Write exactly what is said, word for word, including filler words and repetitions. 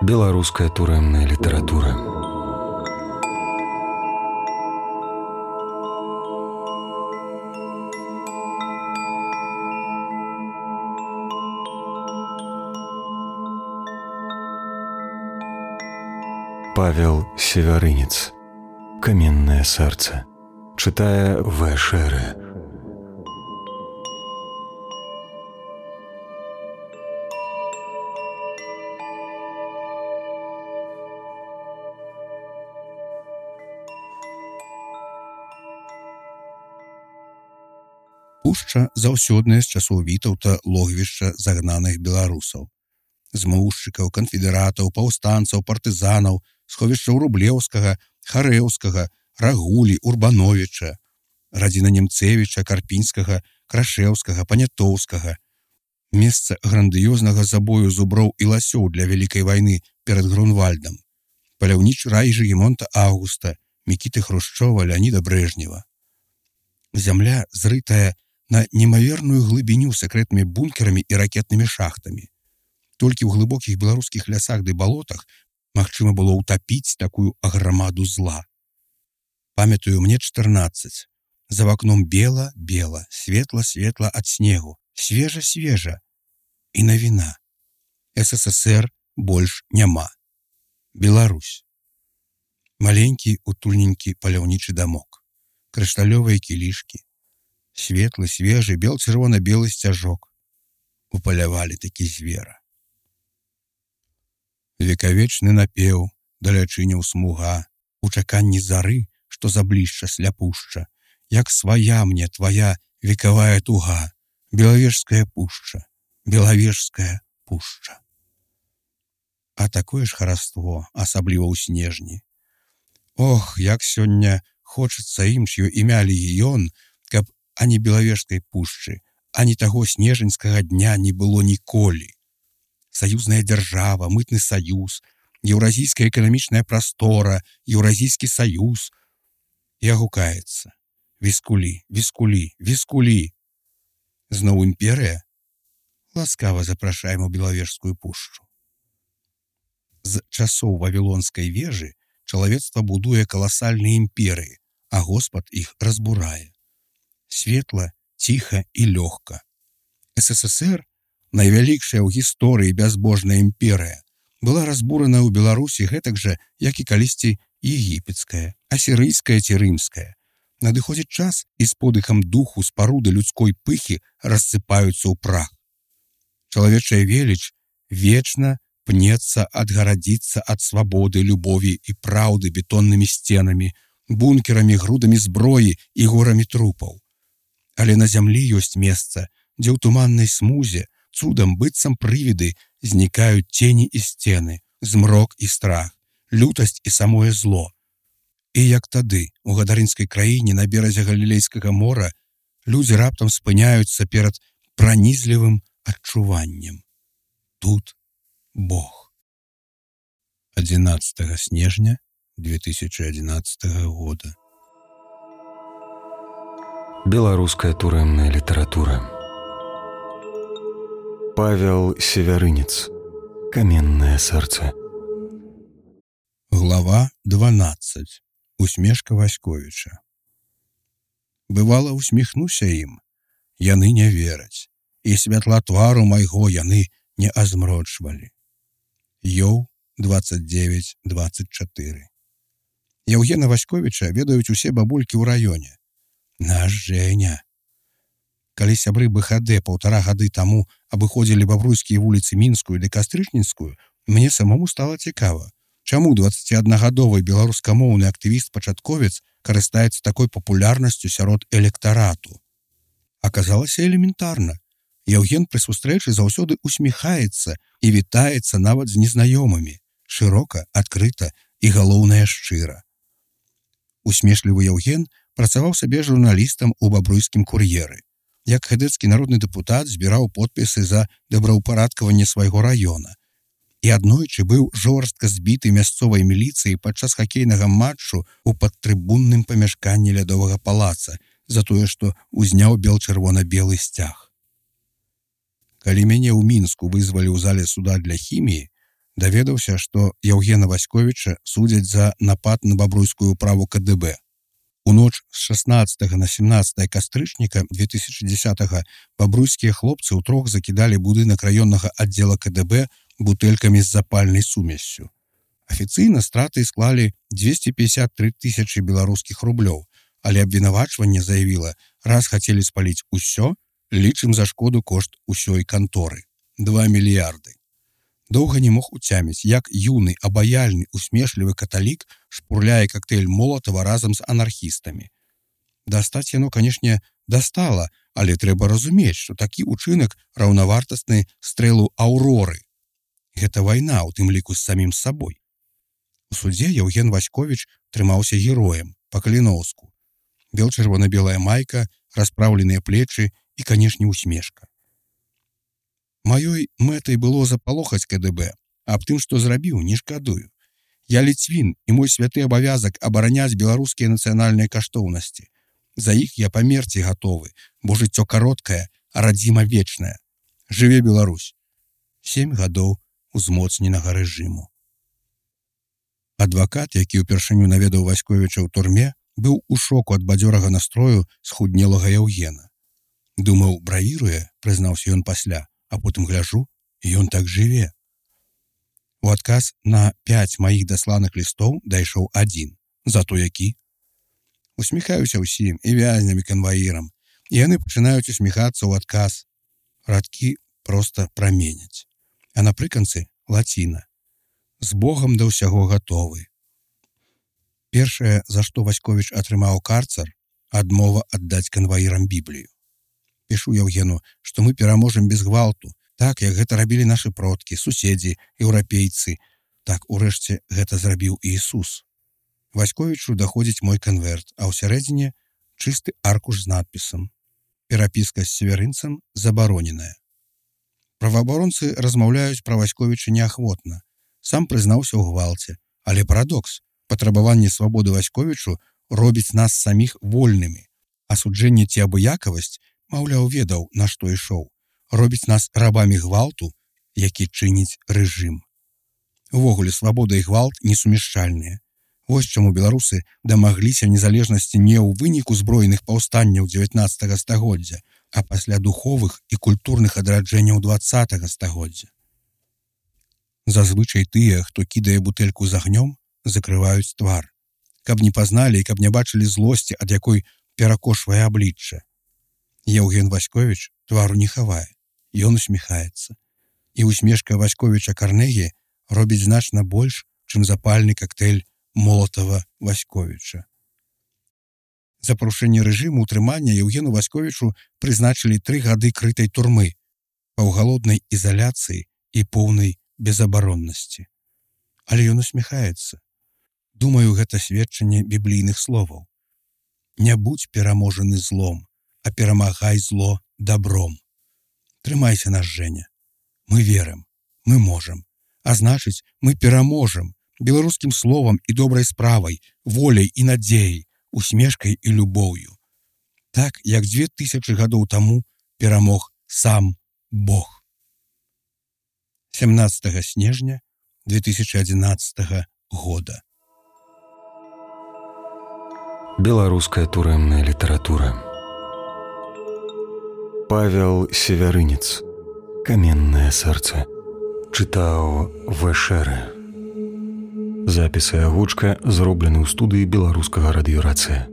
Беларуская турэмная літаратура. Павел Севярынец. Каменное сердце. Читая В. Шеры. Пушча заўсёдная з часоў Вітаўта логвішча загнаных беларусаў. Змоўшчыкаў, канфедэратаў, паўстанцаў, партызанаў, сховішчаў Рублеўскага, Харэўскага, Рагулі, Урбановіча, радзіна Немцевіча, Карпінскага, Крашэўскага, Панятоўскага. Месца грандыёзнага забою зуброў і ласёў для вялікай вайны перад Грунвальдам. Паляўнічы рай Жыгімонта Аўгуста, Мікіты Хрушчова, Леаніда Брэжнева. Зямля зрытая на немаверную глыбіню сакрэтнымі бункерамі і ракетнымі шахтамі. Толькі ў глыбокіх беларускіх лясах ды балотах магчыма было ўтапіць такую аграмаду зла. Памятаю, мне чатырнаццаць. За вакном бела-бела, светла-светла ад снегу, свежа-свежа. І навіна. СССР больш няма. Беларусь. Маленькі, утульненькі паляўнічы дамок. Крышталёвыя кілішкі. Светлы, свежы, бел-чырвона-белы сцяжок. Упалявалі такі звера. Векавечны напеў, далячыняў смуга, у чаканні зары, што заблішча сляпушча, як свая мне твая векавая туга, белавежская пушча, белавежская пушча. А такое ж хараство, асабліва ў снежні. Ох, як сёння хочацца ім, ч'ё імя легіён, каб ані белавежскай пушчы, ані таго снежаньскага дня не было ніколі. Саюзная дзяржава, мытны саюз, еўразійская эканамічная прастора, еўразійскі саюз. І агукаецца. Віскулі, віскулі, віскулі. Зноў імперыя? Ласкава запрашаем у белавежскую пушчу. З часоў Вавілонскай вежы чалавецтва будуе каласальныя імперыі, а Господ іх разбурае. Светла, ціха і лёгка. СССР, найвялікшая ў гісторыі бязбожная імперыя, была разбурана ў Беларусі гэтак жа, як і калісьці егіпецкая, асірыйская ці рымская. Надыходзіць час, і з подыхам духу спаруды людской пыхі рассыпаюцца ў прах. Чалавечая веліч вечна пнецца адгарадзіцца ад свабоды, любові і праўды бетоннымі сценамі, бункерамі, грудамі зброі і горамі трупаў. Але на зямлі ёсць месца, дзе ў туманнай смузе цудам быццам прывіды знікаюць цені і сцены, змрок і страх, лютасць і самое зло. І як тады, у гадарынскай краіне на беразе Галілейскага мора, людзі раптам спыняюцца перад пранізлівым адчуваннем. Тут Бог. адзінаццатага снежня две тысячи одиннадцатого года. Беларуская турэмная літаратура. Павел Севярынец. Каменное сердце. Глава дванаццаць. Усмешка Васьковіча. Бывала, усміхнуся ім, яны не вераць, і святла твару майго яны не азмрочвалі. Ёў двадцать девять двадцать четыре. Яўгена Васьковіча ведаюць усе бабулькі ў раёне. Наш Жэня. Калі сябры БХД паўтара гады таму абыходзілі бабруйскія вуліцы Мінскую ды Кастрычніцкую, мне самому стала цікава, чаму дваццаціаднагадовы беларускамоўны актывіст-пачатковец карыстаецца такой папулярнасцю сярод электарату. Аказалася элементарна. Яўген пры сустрэчы заўсёды усміхаецца і вітаецца нават з незнаёмымі, шырока, адкрыта і, галоўнае, шчыра. Усмешлівы Яўген працаваў сабе журналістам у бабруйскім кур'еры. Як хэдэцкі народны дэпутат збіраў подпісы за добраўпарадкаванне свайго раёна. І аднойчы быў жорстка збіты мясцовай міліцыяй падчас хакейнага матчу ў падтрыбунным памяшканні лядовага палаца за тое, што узняў бел-чырвона-белы сцяг. Калі мяне ў Мінску вызвалі ў зале суда для хіміі, Даведаўся, што Яўгена Васьковіча судзяць за напад на бабруйскую ўправу ка дэ бэ. У ноч з шаснаццатага на сямнаццатае кастрычніка две тысячи дзесятага бабруйскія хлопцы ўтрох закідалі будынак раённага аддзела ка дэ бэ бутэлькамі з запальнай сумессю. Афіцыйна страты склалі дзвесце пятьдесят три тысячи беларускіх рублёў, але абвінавачванне заявіла, раз хацелі спаліць усё, лічым за шкоду кошт усёй канторы. два мільярды. Доўга не мог уцяміць, як юны, абаяльны, усмешлівы каталік шпурляе коктейль Молотова разам з анархістамі. Дастаць яно, канешне, дастала, але трэба разумець, што такі ўчынак раўнавартасны стрэлу Аўроры. Гэта вайна, у тым ліку з самім сабой. У судзе Яўген Васьковіч трымаўся героем, па-каліноўску. Бел-чырвона-белая майка, распраўленыя плечы і, канешне, усмешка. Маёй мэтай было запалохаць ка дэ бэ, аб тым, што зрабіў, не шкадую. Я ліцвін, і мой святы абавязак абараняць беларускія нацыянальныя каштоўнасці. За іх я памерці гатовы, бо жыццё кароткае, а радзіма вечная. Жыве Беларусь. Сем гадоў узмоцненага рэжыму. Адвакат, які ўпершыню наведаў Васьковіча ў турме, быў у шоку ад бадзёрага настрою схуднелага Яўгена. Думаў, бравіруе, прызнаўся ён пасля, а потым гляжу, і ён так жыве. У адказ на пяць маіх дасланых лістоў дайшоў адзін. Зато які? Усміхаюся ўсім, і вязням, і канваірам. І яны пачынаюць усміхацца ў адказ. Радкі проста праменяць. А напрыканцы лаціна. З Богам да ўсяго гатовы. Першае, за што Васьковіч атрымаў карцар, адмова аддаць канваірам Біблію. Пішу Яўгену, што мы пераможам без гвалту, так, як гэта рабілі нашы продкі, суседзі, еўрапейцы. Так, урэшце, гэта зрабіў Ісус. Васьковічу даходзіць мой канверт, а ў сярэдзіне чысты аркуш з надпісам. Перапіска з северынцам забароненая. Праваабаронцы размаўляюць пра Васьковіча неахвотна. Сам прызнаўся ў гвалце. Але парадокс. Патрабаванне свабоды Васьковічу робіць нас саміх вольнымі. А суджэнне ці абыякавасць, маўляў, ведаў, на што ішоў. Робіць нас рабамі гвалту, які чыніць рэжым. Увогуле, свабода і гвалт несумяшчальныя. Вось чаму беларусы дамагліся незалежнасці не ў выніку збройных паўстанняў дзевятнаццатага стагоддзя, а пасля духовых і культурных адраджэнняў дваццатага стагоддзя. Зазвычай тыя, хто кідае бутэльку з агнём, закрываюць твар, каб не пазналі і каб не бачылі злосці, ад якой перакошвае аблічча. Яўген Васьковіч твару не хавае, ён усміхаецца. І усмешка Васьковіча Карнегі робіць значна больш, чым запальны коктейль Молотова Васьковіча. За парушэнне рэжыму ўтрымання Яўгену Васьковічу прызначылі тры гады крытай турмы, паўгалоднай ізаляцыі і поўнай безабароннасці. Але ён усміхаецца. Думаю, гэта сведчанне біблійных словаў. Не будзь пераможаны злом, а перамагай зло добром. Трымайся нас, Женя. Мы верым, мы можам. А значыць, мы пераможам беларускім словам і добрай справай, воляй і надзеяй, усмешкай і любоўю. Так, як дзве тысячы гадоў таму перамог сам Бог. сямнаццатага снежня две тысячи одиннадцатого года. Беларуская турэмная літаратура. Павел Севярынец. Каменнае сэрца. Чытаў Вэшэрэ. Запіс і агучка зроблены ў студыі беларускага радыёрацыя.